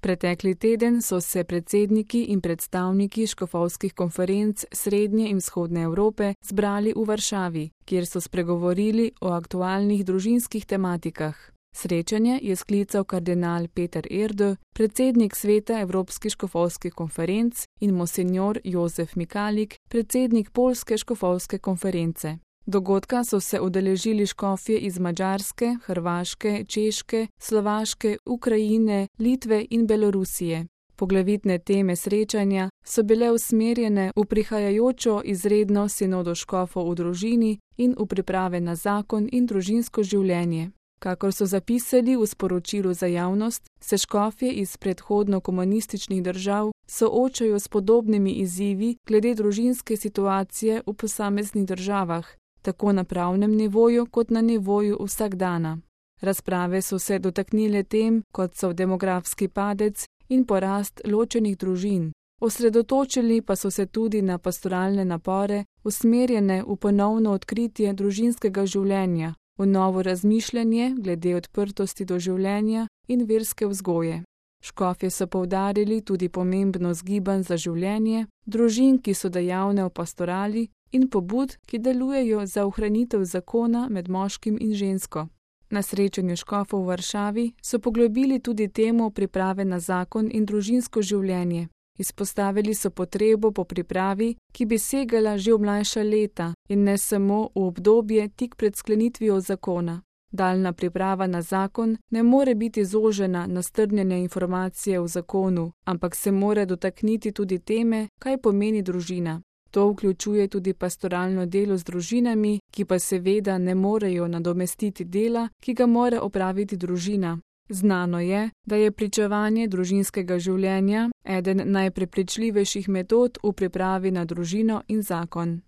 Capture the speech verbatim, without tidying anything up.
Pretekli teden so se predsedniki in predstavniki škofovskih konferenc Srednje in Vzhodne Evrope zbrali v Varšavi, kjer so spregovorili o aktualnih družinskih tematikah. Srečanje je sklical kardinal Peter Erdő, predsednik sveta Evropskih škofovskih konferenc, in monsinjor Jozef Mikalik, predsednik Poljske škofovske konference. Dogodka so se udeležili škofje iz Madžarske, Hrvaške, Češke, Slovaške, Ukrajine, Litve in Belorusije. Poglavitne teme srečanja so bile usmerjene v prihajajočo izredno sinodo škofov v družini in v priprave na zakon in družinsko življenje. Kakor so zapisali v sporočilu za javnost, se škofje iz predhodno komunističnih držav soočajo s podobnimi izzivi glede družinske situacije v posameznih državah, tako na pravnem nivoju kot na nivoju vsakdana. Razprave so se dotaknile tem, kot so demografski padec in porast ločenih družin. Osredotočili pa so se tudi na pastoralne napore, usmerjene v ponovno odkritje družinskega življenja, v novo razmišljanje glede odprtosti do življenja in verske vzgoje. Škofje so poudarili tudi pomembnost gibanj za življenje, družin, ki so dejavne v pastorali, in pobud, ki delujejo za ohranitev zakona med moškim in žensko. Na srečanju škofov v Varšavi so poglobili tudi temo priprave na zakon in družinsko življenje. Izpostavili so potrebo po pripravi, ki bi segala že v mlajša leta in ne samo v obdobje tik pred sklenitvijo zakona. Daljna priprava na zakon ne more biti zožena na strnjene informacije v zakonu, ampak se mora dotakniti tudi teme, kaj pomeni družina. To vključuje tudi pastoralno delo z družinami, ki pa seveda ne morejo nadomestiti dela, ki ga mora opraviti družina. Znano je, da je pričevanje družinskega življenja eden najprepričljivejših metod v pripravi na družino in zakon.